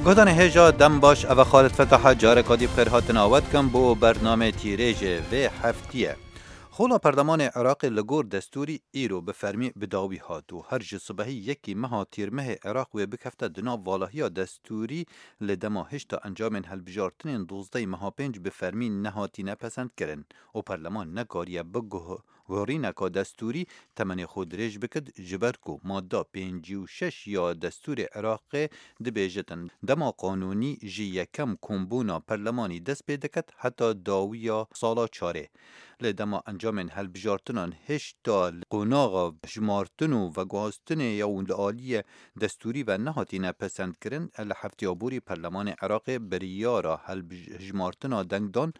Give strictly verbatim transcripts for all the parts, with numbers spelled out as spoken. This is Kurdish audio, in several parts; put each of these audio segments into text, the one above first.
Guhdarên hêja dem baş, eve Xalid Fetaha careka dî bi xêr hatina we dikim bo bernamê tîrêjê vê heftiyê. Xola Perlemanê Iraqê li gor destûrî îro bi fermî bi dawî hat û her ji sibehî yekî meha Tîrmehê Iraq wê bikefte di nav valahiya destûrî, li dema hişta encamên hilbijartinên dozdehê meha pênc bi fermî nehatîne pesendkirin û perleman nekariye bi guh-, guherîneka destûrî temenê xwe dirêj bikit, ji ber ku madda pêncî û şeş ya destûrê Iraqê dibêjitin, dema qanûnî ji yekem kombûna perlemanî dest pê diket heta dawiya sala çarê. Li dema encamên hilbijartinan hêşta li qonaxa hijmartin û veguhastinê ya û li aliyê destûrî ve nehatîne pesendkirin, li hefteya borî Perlemanê Iraqê biryara hilbij-, hijmartina dengdan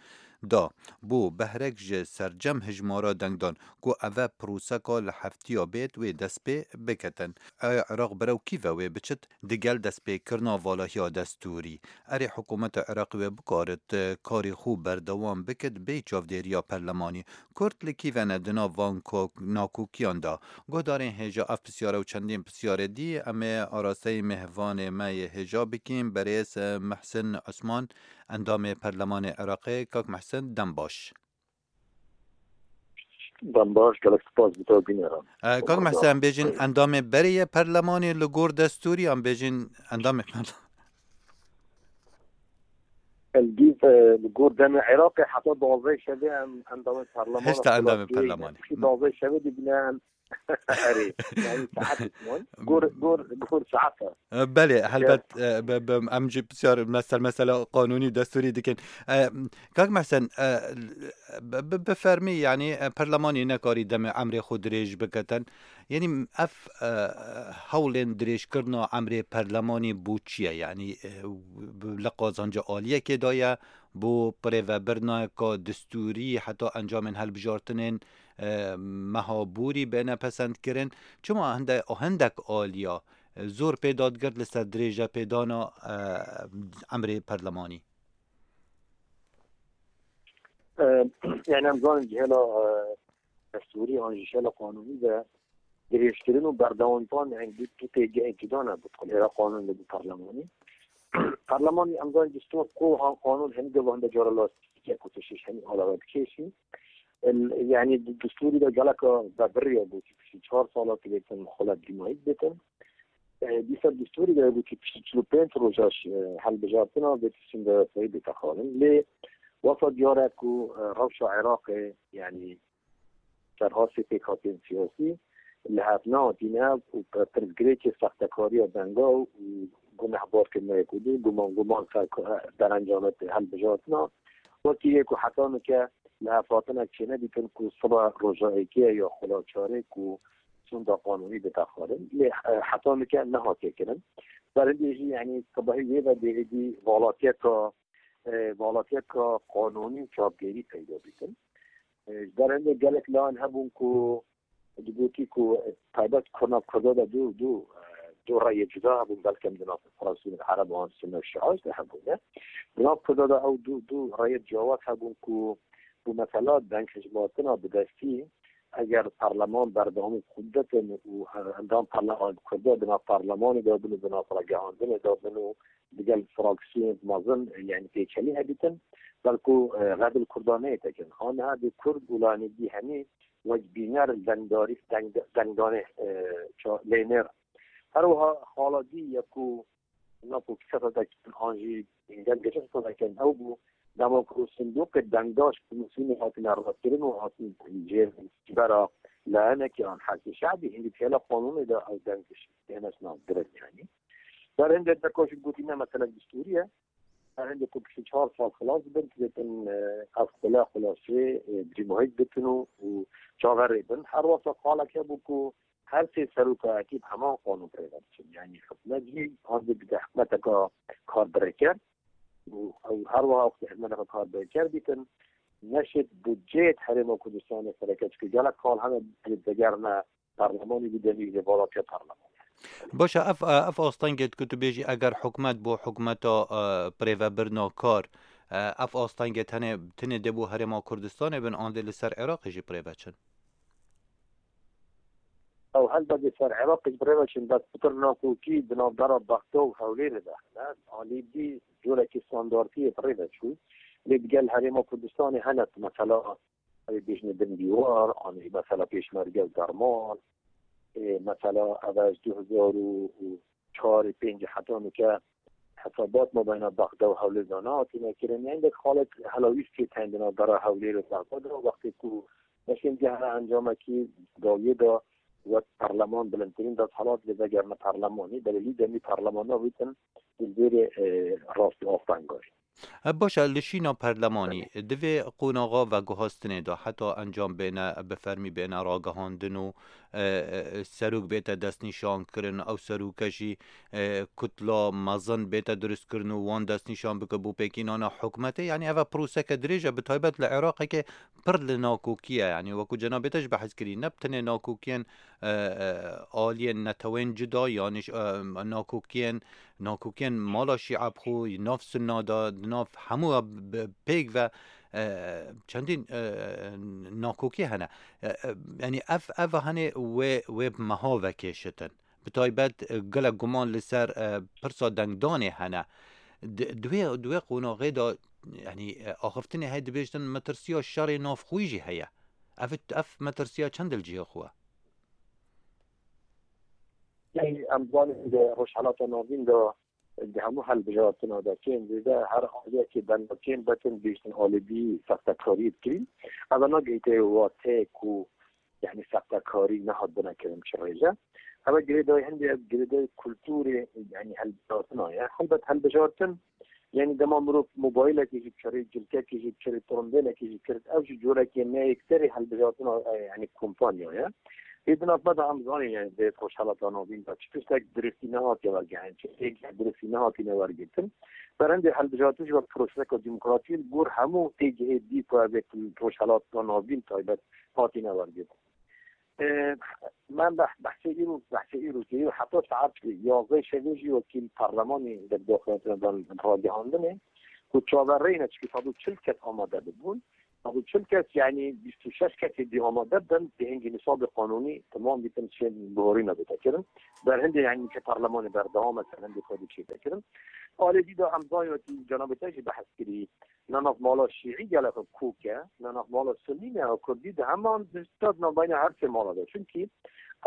da bo behrek ji sercem hijmara dengdan ku eve proseka li heftiya bêt wê dest pê biketin. Eya Iraq berew kî ve wê biçit, digel destpêkirina valahiya destûrî. Erê hikûmeta Iraqê wê bikarit, e, karê xwe berdewam bikit bê çavdêriya perlemanî. Kurd li kî ve ne di nav van ko-, nakokiyan de? Guhdarên hêja ev pisyare û çendîn pisyarê dî em ê arasteyî mêhvanê me yê hêja bikîn, berêz, e, Mehsin Osman, endamê perlemanê Iraqê. Kak Mehsin, dem baş. Dem baş, gelek spas bo te û bîneran. E, Kak Mehsen, em bêjin endamê berê ye perlemanê li gor destûrî, em bêjin endamê perlemanê? Li gor demê Iraqê heta duwazdeh şevê em endamê perlemanê. Hêşta endamê perlemanê. Piştî duwazdeh şevê dibîne em Erê, yani saet man. Gor, gor, gor saet e. E, belê, helbet, e, be, be, em jî pisyar mesel, mesela qanûnî û destûrî dikin. E, Kak Mehsen, e, bi, bi, bi fermî, yani, e, perlemanî nekarî demê emrê xwe dirêj biketin. Yani, ev, e, hewlên dirêjkirina emrê perlemanî bo çi ye? Yani, e, bi, li qazanca aliyekê de ye, bo birêvebirneka destûrî, heta encamên hilbijartinên e, meha borî bêne pesendkirin. Çima hinde-, hindek aliya, e, zor pê dadigirt li ser dirêjepêdana, e, emrê perlemanî? E, yani em zanin cihêla, e, destûrî an jî jihêla qanûnî de dirêjkirin û berdewamîkirin, yani du, du têgehên cuda ne, bi kulêra qanûn de bi perlemanî. Perlemanî em zanin destûr ku han qanûn hemî de hinde cara lastîkek ku tu şêş hemî alave dikêşî. El, yani di destûrî de geleka vebirî ye, gotî piştî çar sala tu bêtin xwe le dîmayî bitin. E, dîsa destûrî de gotî piştî çil û pênc roja ş-, e, hilbijartina vê tiştên de sayî bête xalin. Lê wesa diyar e ku, e, rewşa Iraqê, yani serhastê pêkhateyên siyasî li hev nehatîne û pirsgirêkê sextekariya denga û gunehbarkirina yek û du, guman, guman ser ku-, derencama hilbijartina, wekî yê ku heta nike li hev hatinek çênedîtin ku sibe roja êkê ya xwe la çarê ku sonda qanûnî bite xwarin. Lê, e, heta nike nehatiye kirin. Berhindê jî, yani, sibehî wê ve dê êdî valatiyeka, e, valatiyeka qanûnî û çavdêrî peyda bikin. E, ji ber hindê gelek layan hebûn ku digotî ku, e, taybet ku nav Kurda de du, du, e, du reyê cuda hebûn, belkem di nav fraksiyonên Ereb an Sunne û Şia de hebûne. Di nav Kurda de ew du, du reyê cawaz hebûn ku, ku mesela denghijmartina bi destî, eger parleman berdewamî xwe biditin û, e, endam parleman Kurda di nav parlemanê de bin û di nav ragihandinê de bin û digel fraksiyonên mezin, yani pêçelî hebîtin, belku, e, redil Kurda neyê tekin. Aniha dê Kurd û lanî dî hemî wek bîner dengdarî, deng-, dengdanê, e, ça-, lênêr. Her wiha xala dî ye ku na ku kisa te dekin an jî gel geçe kisa dekin ew bû, dema ku sindoqê dengdaş komîsyonê hatine rakirin û hatin jêr bera layenekî an Hezbê Şe'bî, hindî têla qanûnê de ew deng têne nav direk yani. Ber hindê deka jî gotî ne mesele destûrî ye. Her hindê ku piştî çar sal xilas dibin, dibêtin, e, ev xule xulasê, e, cîmuhît bitin û, û çaverê bin. Her wexta xalek hebû ku her sê serokayetî bi heman qanûn pê ve diçin. Yani hikûmet jî an dê bide hikûmeteka karbirêker û ew her wiha wextê hikûmeteka karbirêker bîtin, neşêt budceyê Herêma Kurdistanê xwe reke, çike gelek xal hene dê vegerine parlemanî bide nîvê balatiya parlemanê. Baş e, ev, ev astengê ku tu bêjî, eger hikûmet bo hikûmeta, e, birêvebirina kar, e, ev astengê tenê, tenê dê bo Herêma Kurdistanê bin, an dê li ser Iraqê jî birêve çin? Ew helbet li ser Iraqê ji bi rê ve çin, bes pitir nakokî di navbera Bexda û Hewlêrê de hene. Alî dî corekî standartiyê bi rê ve çû. Lê digel Herêma Kurdistanê hene, mesela, ew ê bêjine bin dîwar, anî mesela pêşmerge û derman, ê, mesela ev e ji du hezar û çar û pênc heta nûke hesabat mabeyna Bexda û Hewlêr de nehatine kirin. Hindek xalet helawîstiyê tendina dera Hewlêr û Bexda de, wextê ku neşên gehre encamekî dawiyê de wek parleman bilindtirîn desthilat lê vegerine parlemanî, belê lî demî parleman navîtin, li vêrê, e, rastî astengarî. E, baş e, li şîna perlemanî, Belê. Di vê qonaxa veguhastinê de heta encam bêne, bi fermî bêne ragihandin û, e, e, serok bête destnîşan kirin, ew seroke jî, e, kutla mezin bête durustkirin û wan destnîşan bike bo pêkînana hikûmetê. Yanî ev e proseke dirêj e, bi taybet li Iraqeke pir li nakokî ye. Yanî wekû cenabê te jî behs kirî, ne bi tenê nakokiyên, e, e, aliyên netewên cuda, yanî, e, nakokiyên, nakokiyên mala Şîa bi xwe, nav Sunna de, di nav hemû bi pêk ve, e, çendîn, e, nakokî hene. E, e, yanî ev, ev hene wê, wê bi meha vekêşitin. Bi taybet, e, gelek guman li ser, e, pirsa dengdanê hene. Di, di wê, di wê qonaxê de, yanî, e, axiftinê heye dibêjin metirsiya şerê navxwî jî heye. Ev, ev metirsiya çend li cihê xwe? Ey, em zanin di Rojhelata Navîn de di hemû helbijartina de kêm zêde her aliyekê benda kêm betin bêjin alî dî sextekariyê dikirîn. Ev nagihîte wateyê ku, yanî, sextekarî nehat bine kirin çi rêje. Ev girêdayî hindê, ev girêdayî kulturê, yanî, helbijartina ye. Helbet helbijartin, yanî, dema mirov mobaylekê jî biçerê, cilkekê jî biçerê, tirimbêlekê jî kirit, ev jî corekê neyêkserê helbijartina, e, yanî, kompanya ye. Ê di nav me de em zanîn, yanî, vê Rojhelata Navîn de çi tiştek diristî nehatiye wergirin, çi êk diristî nehatîne wergirtin. Berhindê helbijartin jî wek proseseka demokratî li gor hemû êgihê dî ku ev ê Rojhelata Navîn taybet hatîne wergirtin. E, me beh-, behsê îro, behsê îro kiriye û heta saet yazdeh şevê jî wekî li parlemanê li daxuyaniyê dan ragihandinê ku çaverêne çikî sed û çil kes amade bibûn. Sed û çil kes, yanî bîst û şeş kesê dî amade bin, dê hingî nisabê qanûnî temam bîtin, çê bihorîne bête kirin. Berhindê, yanî ke parlemanê berdewam e, ser hindê xwedî çête kirin. Alê dî de em zanîn wekî cenabê te jî behs kirî, ne nav mala şîî gelek kok e, ne nav mala sunî ne ya kurdî, di heman dişta di navbeyna her sê mala de. Çimkî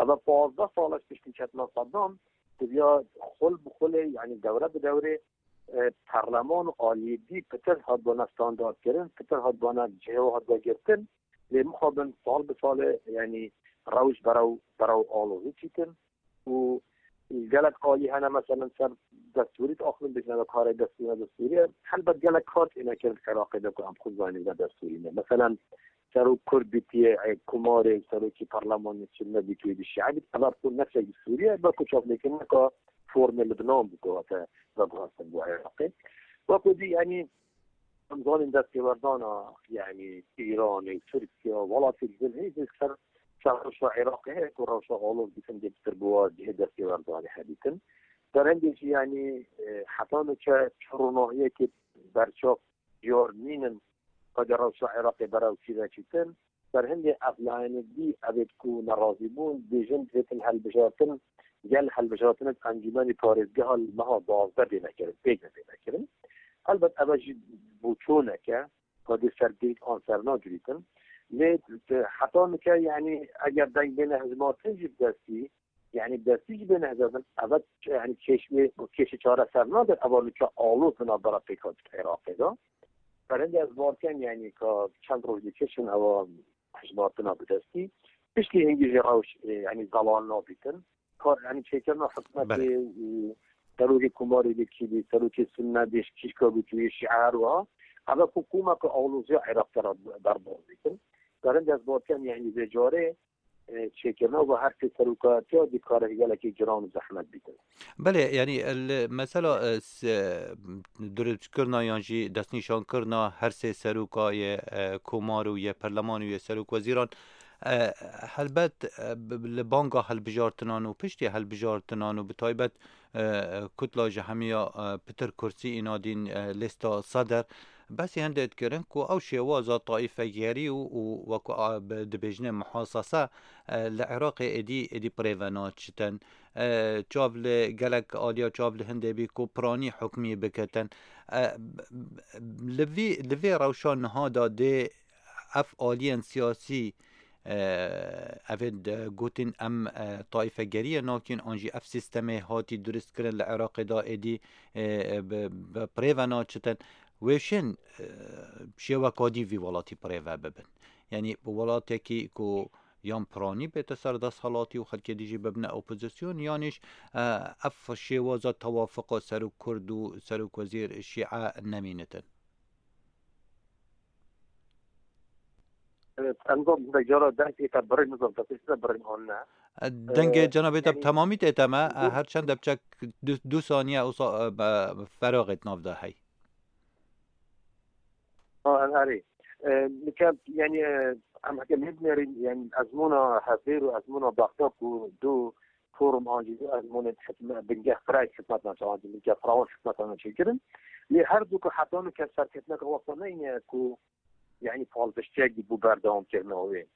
ev e pazdeh sal e piştî ketina Saddam, diviya xul bi xulê, yanî dewre bi dewrê, e, parleman û aliyê dî pitir hatibûne standardkirin, pitir hatibûne cihê hatibûne girtin. Lê mixabin sal bi salê, yanî rewş berew, berew alozî çîtin. û gelek alî hene, meselen ser destûrî diaxivin, dibêjin ev karê destûrî ne destûrî ye. Helbet gelek kar têne kirin Iraqê de ku em xwe zanîn ne destûrî ne. Meselen serok Kurd bîtiye, ê, Komarê, serokê parlemanê Sunne bîtiye, dî Şîe bît, ev ku ne destûrî ye, belku çaplêkirineka formê Libnan bû ku hate veguhastin bo Iraqê. Wekû dî, yanî, Em zanîn destêwerdana, yanî Îranê, Tirkiye, welatê li vir hê ser, ser rewşa Iraqê heye ku rewşa alozî hindê pitir bi wa cihê destêwerdanê hebîtin. Berhindê jî, yanî, e, heta nûke çi ronahiyekê berçav diyar nînin, qede rewşa Iraqê berew çî veçîtin. Berhindê ev layînê dî, ev ê ku nerazî bûn, dibêjin divêtin helbijartin, gel helbijartinê Encûmenê Parêzgeha li meha duwazdeh bêne kirin, pêk ve bêne kirin. Helbet ev e jî boçûnek e, ka dê sergirît an ser nagirîtin. Lê heta nûke, yanî eger deng bêne hilbijartin jî bi destî, yanî bi destî jî bêne hilbijartin, ev e, yanî kêş wê, kêşê çareser nabe, ev e nûke aloz di navbera pêkhatî Iraqê de. Berhindê ez bawer kem, yanî ka çend roj dikişin ew hilbijartina bi destî. Piştî hingî jî rewş, e, yanî zelal nabîtin. Kar, yanî çêkirina hikûmetê, Belê. e, serokê Komarê Likî bî, serokê Sunne bî, kîşka bî, tu yê Şîe her wiha. Ev e ku komeka aloziya Iraqê re derbas bikin. Berhindê ez bawer kem, yanî vê carê, e, çêkirina û her sê serokatiya dî karek gelekî giran û zehmet bîtin. Belê, yanî, li mesela, e, s-, e, durustkirina yan jî destnîşankirina her sê seroka yê, e, komar û yê perleman û yê serokwezîran, e, helbet, e, bi, li banga hilbijartinan û piştî hilbijartinan û bi taybet, e, kutla ji hemiya, e, pitir kursî înadîn, e, lêsta Seder, Besî hindê dikirin ku ew şêwaza taîfegerî û, û wekî a, bi, dibêjine muhasese, e, li Iraqê êdî, êdî bi rê ve naçitin. E, çav li gelek aliya çav li hindê bî ku piranî hukmî bikitin. E, b-, b-, li vî, li vê rewşa niha de dê ev aliyên siyasî, e, evên de gotin em, e, taîfegeriyê nakin, an jî ev sîstemê hatî duristkirin li Iraqê de êdî, e, bi, bi bi rê ve naçitin. Wêşên, e, şêweka dî vî welatî bi rê ve bibin. Yanî bi welatekî ku yan piranî bête ser desthilatî û xelkê dî jî bibine opozîsyon, yanîş, e, ev şêwaza tewafuqa serok kurd û serokwezîr şîe nemînitin. Em got, cara dengê te birî, nizam te pêşî te birîn an ne. Dengê Ee, cenabê te bi yani temamî tê te me, e, her çend de biçek du, du saniye wisa, e, be, feraxê di nav de hey. Ha, em erê. Ee, nika, yani, e, em heke nebinêrin, yani, ezmûna Hevêr û ezmûna Bexda ku du form an jî du ezmûnên hikme-, bingeh firayê hikmetan, an jî bingeh firawon hikmetan çêkirin. Lê her du ku heta nûke serketineke wexta neyne ku, yani, palpiştiyek bû berdewamkirina wê.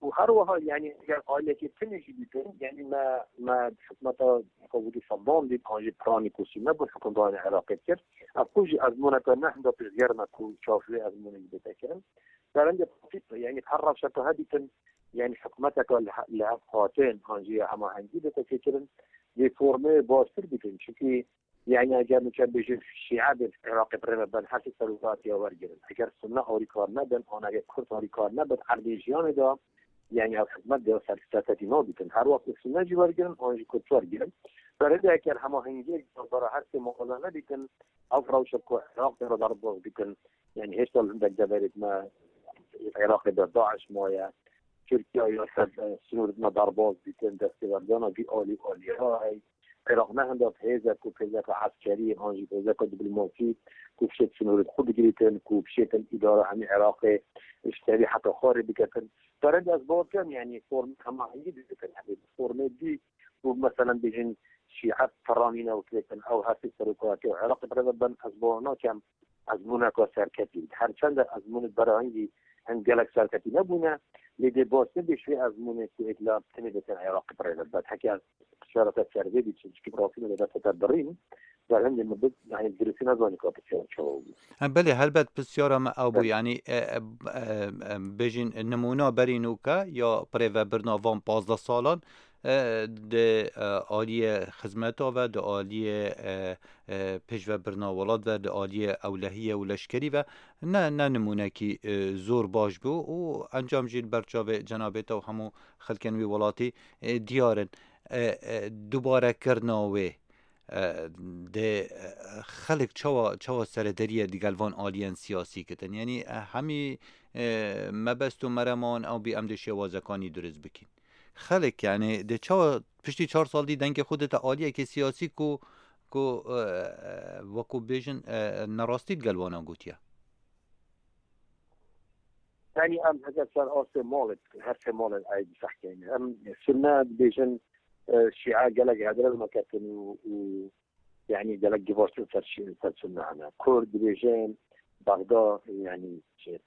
Û her wiha, yani, eger ailekê tinê jî dîtin, yani, me, me hikmeta Qewûdî Seddam dît, an jî piranî ku Sûnne bû hukimdarên Iraqê dikir. Ev ku jî ezmûneke ne hinda pêşgerm e ku çav vê ezmûnê jî bête kirin. Berendê, yani, her rewşeke he dîtin, yani, hikmeteke li he-, li hev hatin, an jî hemahengî bête çêkirin, lêformê baştir bikin. Çunkî, yani, eger nûke bêjin şîe bên Iraqê bi rê ve ben, her tişt serokatiya wergirin. Eger Sunne alîkar nebin, an eger Kurd alîkar nebin, erdê jiyanê de, yani, ev hikmet de serkirdetekî nabîtin. Her wext Sunne jî wergirin, an jî Kurd wergirin. Berê de eger hemahengiyek navbera her sê mala nebîtin, ev rewşa ku Iraqê re derbas bikin, yani, hêşta li hindek deverê me Iraqê de DAIŞ maye. Tirkiye ya ser, e, sînorê me derbas dîtin, destêwerdana vî alî alî ya hey. Iraq ne hinda hêzek ku hêzeka eskerî, an jî hêzeka diplomasî ku bişêt sînorê xwe bigirîtin, ku bişêtin îdara hemî Iraqê ji serî heta xwarê biketin. Berendê ez bawer dikim, yani form hemahengî dikin, yani formê dî ku meselen bêjin şîe piranîne û kirêtin, ew her sê serokatiya Iraqê bi rê ve ben, ez bawer nakim ezmûneka serketî. Her çend ezmûnê berahingî hin gelek serketî nebûne, lê dê baş nebe ji wê ezmûnê ku êdî tenê dêtin Iraqê bi rê ve. Heke pişareta servê bî, çimkî bi rastî min dê destê te birîn, berhindê min bit, yani, diristî nezanî ka pisyara çawa bû. Em, belê, helbet pisyara me ew bû, Belê. yani, e, e, e, e, bêjin nimûna berî nûke ya bi rê ve birina van pazdeh salan, e, di, e, aliyê xizmeta ve, di aliyê, e, e, pêşvebirina welat ve, di aliyê ewlehiyê û leşkerî ve ne, ne nimûnekî, e, zor baş bû û encam jî li ber çavê cenabê te û hemû xelkên wî welatî, e, diyar in. E, e, dubarekirina wê, e, dê, e, xelk çawa, çawa serederiyê digel van aliyên siyasî kitin? Yanî, e, hemî, e, mebest û merema wan ew bî em dê şêwazekanî durist bikîn. Xelk, yani, dê çawa piştî çar sal dî dengê xwe dite aliyekê siyasî ku, ku, e, e, wekû bêjin, e, nerastî digel wana gotiye? Yani, em heke ser astê malê, her sê malên Eydî fehkeyne. Em Sunne dibêjin, e, Şîe gelek hedre meketin û, û, yani, gelek givaştin ser Şî-, ser Sunne hene. Kurd dibêjin Bexda, yani, şey,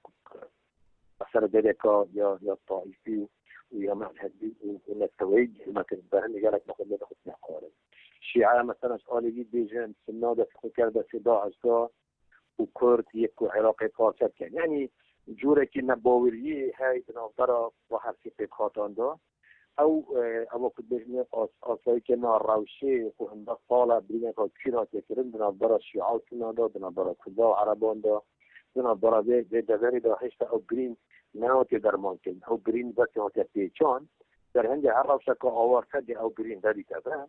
ser D D K ya, ya taîfî û ya mezhebî û, û neteweyî girmetin, berhindê gelek mexwedê xwe tine xwarin. Şîe, mesela, ji alî dibêjin, Sunna dest xwe kir destê DAIŞ da û Kurd yek ku Iraqê parçe dikin. Yani, cûrekî nebaweriyê hey di navbera xwe her sê pêkhatan de. Ew, e, ewa ku dibêjin as-, asayîkirina rewşê ku hindek sal e birîneka kûr hatiye kirin di navbera Şîa û Sunna de, di navbera Kurda û Ereban de, di navbera vê, vê deverê de hêşta ew birîn nehatiye dermankirin. Ew birîn weke hatiye pêçan. Derhengê her rewşeke awarte dê ew birîn vedîte ve.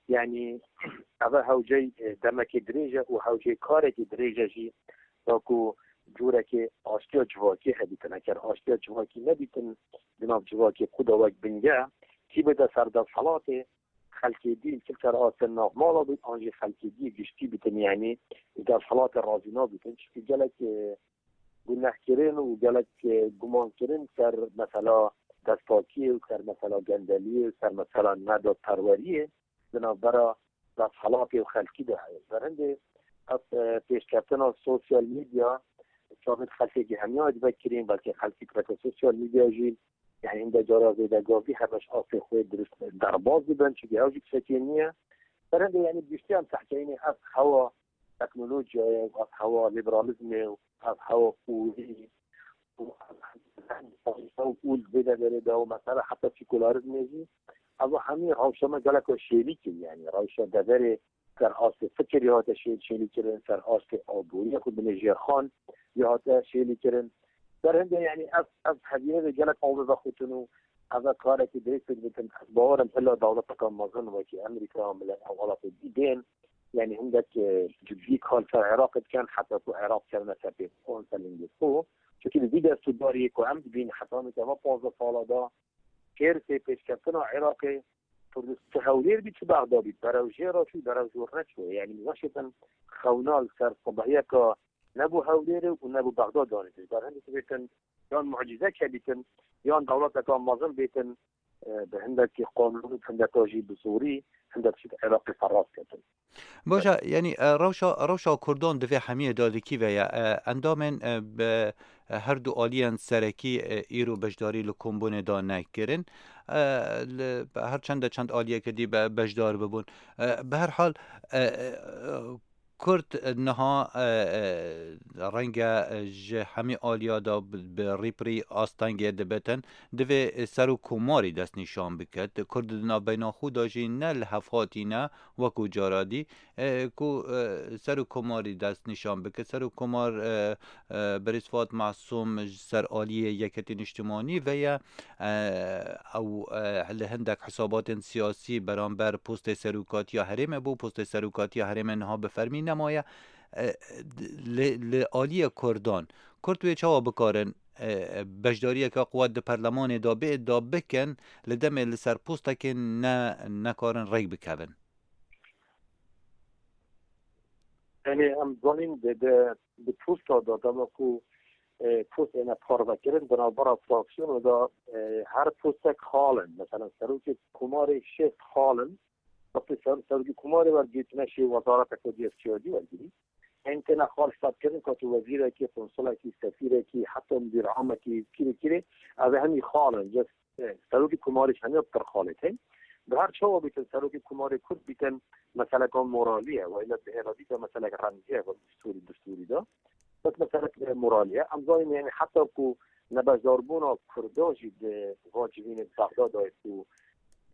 Yani, eve hewcey, e, demekê dirêj e û hewcey karekê dirêj e jî, da ku cûrekê aştiya civakî hebîtin. Eger aştiya civakî nebîtin, di nav civakê xwe de wek binge, kî bide ser desthilatê, xelkê dî li ser astên navmala bît, an jî xelkê dî giştî bîtin, yani, li desthilatê razî nabîtin. Çimkî gelek, e, gunehkirin û gelek, e, gumankirin ser mesela destpakiyê û ser mesela gendeliyê û ser mesela nedadperweriyê di navbera desthilatê û xelkî de heye. Berhindê ev, e, pêşketina sosyal medya çavên xelkekî hemiya dibe kirîn, belkî xelkî bi sosyal medya jî, yani hinde cara zêde gavî hemeş astê xwe dirust derbaz dibin, çunke ew jî tiştekê niye. Berhende yani giştî em tehkeyînê ev hewa teknolojiyayê û ev hewa liberalizmê û ev hewa xûrî û ev hewa û li vê deverê de û mesela heta sekularizmê jî, ev hemî rewşa me geleka şêlîk in, yani rewşa deverê ser astê fikirî hate şê-, şêlîkirin, ser astê aboriyê xwe binê jêrxan ya hate şêlîkirin. Berhende yani ev, ev hevînê de gelek aw vexutin û ev karekî dirêj pêk dikin. Ez bawer im hilla dewleteka mezin wekî Amerîka, millet ew welatê dî bên, yani hindek, e, ciddî kar ser Iraqê dikin, heta ku Iraq kevine ser pê xwe, ser lingê xwe. Çunkî li vî destûdariyê ku em dibîn, heta nûke va pazdeh sala da, kêr tê pêşkeftina Iraqê, Kurdistan, çi Hewlêr bî, çi Bexda bî, berew jê re çû, berew jor neçû. Yani, weşêtin xewna li ser sibehiyeka ne bo Hewlêrê û ne bo Bexda danê. Ji ber hindek bêtin, yan mucîze kebîtin, yan dewleteka mezin bêtin, e, bi hindekî qanûn, hindeka jî bi zorî, hindek tişt Iraqê ferras ketin. Baş e, yanî, e, rewşa, rewşa Kurdan di vê hemiyê de li kî ve ye? E, endamên, e, bi, e, her du aliyên serekî, e, îro beşdarî li kombûnê de nekirin. E, li, her çend de çend aliyeke dî be, beşdar bibûn. E, bi her hal, e, e, Kurd niha, e, e, renge, e, ji hemî aliya de bi, bi rî bi rî astengê dibitin. Divê Serokkomarî destnîşan biket. Kurd di navbeyna xwe de jî ne li hev hatîne, wekû cara dî, e, ku, e, Serokkomarî destnîşan bike. Serokkomar, e, e, Birêz Fuad Masûm ji ser aliyê Yeketî Niştimanî ve ye, e, ew, e, li hindek hisabatên siyasî beramber postê serokatiya herêmê bû. Postê serokatiya herêmê niha bi fermî nemaye. E, li, li aliyê Kurdan, Kurd wê çawa bikarin, e, beşdariyeke qwet di perlemanê de bê, da bikin, li demê li ser postekê ne, nekarin rêk bikevin? Yanî em zanîn di, di, di posta de dema ku, e, post êne parvekirin, di navbera fraksiyonê de, e, her postek xal in. Mesela serokê komarê şêst xal in. Wextê ser, serokê komarê wergirî, tu neşê wezareteke diyestiyacî wergirî. Em têne xal hesabkirin ka tu wezîrekî, konsulekî, sefîrekî, heta mudîr amekî, kîrê kîrê, ev hemî xal in. Just, e, serokê komarê ji hemiya pitir xalê tên. Bi her çawa bîtin, serokê komarê Kurd bîtin, meseleka moralî ye. Wayla bi hêla dîsa meseleka remzî ye, wek distûrî, distûrî de. Bes meselek, e, moralî ye. Em zanîn, yani heta ku nebeşdarbûna Kurda jî di va civînê Bexda dayê ku,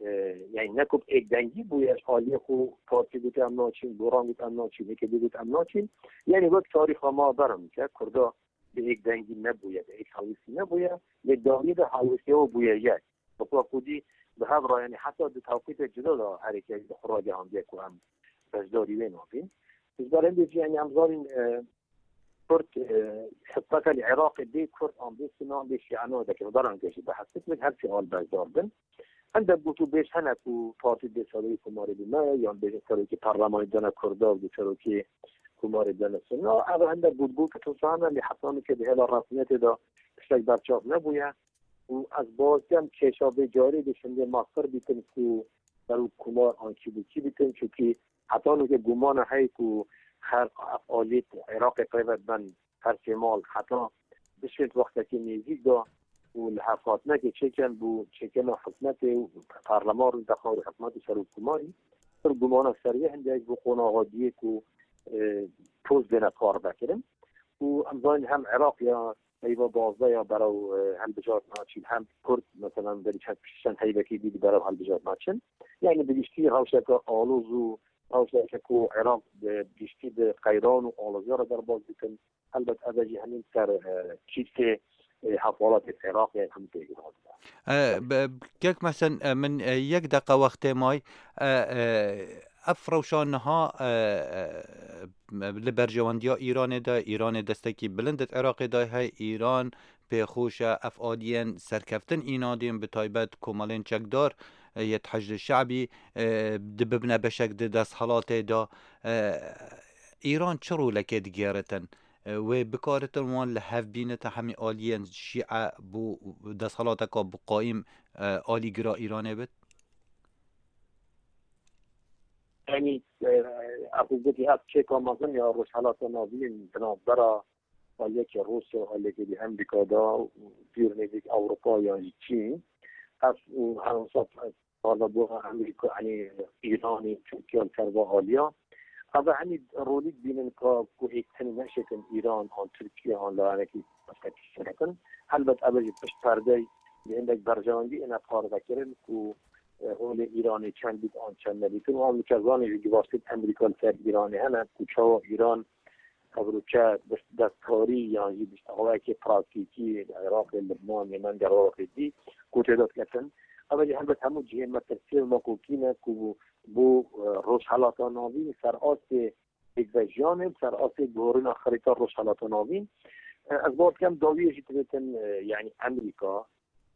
e, yani ne ku bi êkdengî bûye, ji aliyê xwe partî gote em naçîn, goran got em naçîn, yekê dî got em naçîn. Yani wek tarîxa me berin ke Kurda bi êkdengî nebûye, bi êk hewîsî nebûye, lê dawiyê de hewîsî ew bûye yek. Bi xwe xwedî bi hev re, yani heta di tewqîtê cida de herêkê xwe ragihandiye ku em beşdarî wê nabin. Ji ber hindê jî, yani em zanîn, e, Kurd, e, heta li Iraqê bê Kurd an bê Sunni an bê Şîa ne deke, beran ke jî behs dikin, her sê al beşdar bin. Hindek gotûbêj hene ku partî dê serokê komarê bime, yan bêjin serokê perlemanê dene Kurda û dê serokê komarê dene Sunna. Ev hindek gotgotê tosane, lê heta nûke di hêla resmiyetê de tiştek berçav nebûye. Û ez bawer dikim kêşa vê carê dê şindê me qir bîtin ku serok komar an kî bû kî bîtin, çunkî heta nûke gumana heye ku her ev aliyê Iraqê peyve ben her sê mal heta bişên wextekî nêzîk de û li hevhatinekê çêkin bû çêkirina hikûmetê û parleman rû dexar û hikûmet û serokkomarî. Pir gumana ser wê hindek bû qonaxa diyê ku, e, post bêne parvekirin. Û em zanîn hem Iraq ya heyva bazdeh ya berew, e, hilbijartina çîn, hem Kurd, mesela, berî çend, çend heyvekî dî di berew hilbijartina çin. Yani bi giştî rewşeke aloz û rewşeke ku Iraq bi giştî di qeyran û aloziya re derbas dikin. Helbet ev jî hemî ser, e, kîsê, e, hevwelatê Iraq, yani hemî têgihand. E, be-, kek mesen, e, min, e, yek deqe wextê may, e, e, ev rewşa niha, e, e, li berjewendiya Îranê de, Îranê destekî bilind di Iraqê de heye. Îran pêxweş e ev aliyên serkeftin înadîn, bi taybet komelên çekdar, e, yê Heşdê Şe'bî, e, di bibine beşek di desthilatê de. E, Îran çi rolekê digêritin? E, wê bikaritin wan li hev bînite hemî aliyên Şîe bo desthilateka bi qayîm, e, alîgira Îranê bit? Yanî, e, ev gotî ev çêka mezin ya Rojhelata Navîn di navbera aliyekî Rûsya û aliyekî dî Amerîka da û pîr nêzîk Ewropa yan jî Çîn. Ev û her wisa parlabûna Amerîka, yanî Îranê, Tirkiye li ser va aliya. Ev e, yanî rolî dibînin ka ku êk tenê neşêtin Îran an Tirkiye an layenekî başkekî şêtin. Helbet ev e jî pişt perdey bi hindek berjewendî êne parve kirin ku, e, holê Îranê çend bît an çend nebîtin. Û ev li çezanê jî givaştên Amerîka li ser Îranê hene ku çawa Îran ev rûçe dest-, destkarî yan jî bi awayekê praktîkî li Iraqê, Libnan, Yemen, Iraqê dî ku tê de diketin. Ev jî helbet hemû cihê metirsiyê û makokî ne ku bo, e, Rojhelata Navîn ser astê pêkvejiyanê, ser astê guhorîna xerîta Rojhelata Navîn. E, ez bawer dikim dawiyê jî divêtin, e, yanî Amerîka,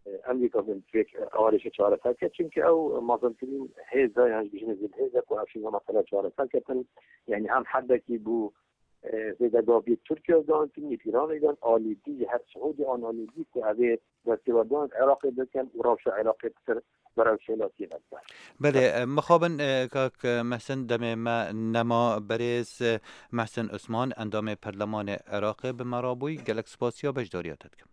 e, Amerîka bin vê arêşê çareser ke. Çimkî ew mezintirîn hêz e, yan jî bijîne zêd hêz e ku ev şêna mesele çareser ketin. Yanî hem herdekî bû, e, zêdegaviyê Tirkiye dan, tînî Îranê dan, alî dî ji her Siûdî an alî dî ku evê destêwerdan Iraqê bikin û rewşa Iraqê pitir berew şêlatiyê vedibe. Belê, e, mixabin, e, kak, e, Mehsin demê me nema berêz, e, Mehsin Osman, endamê Perlemanê Iraqê bi me rabûyî. Gelek spasiya beşdariya te dikim.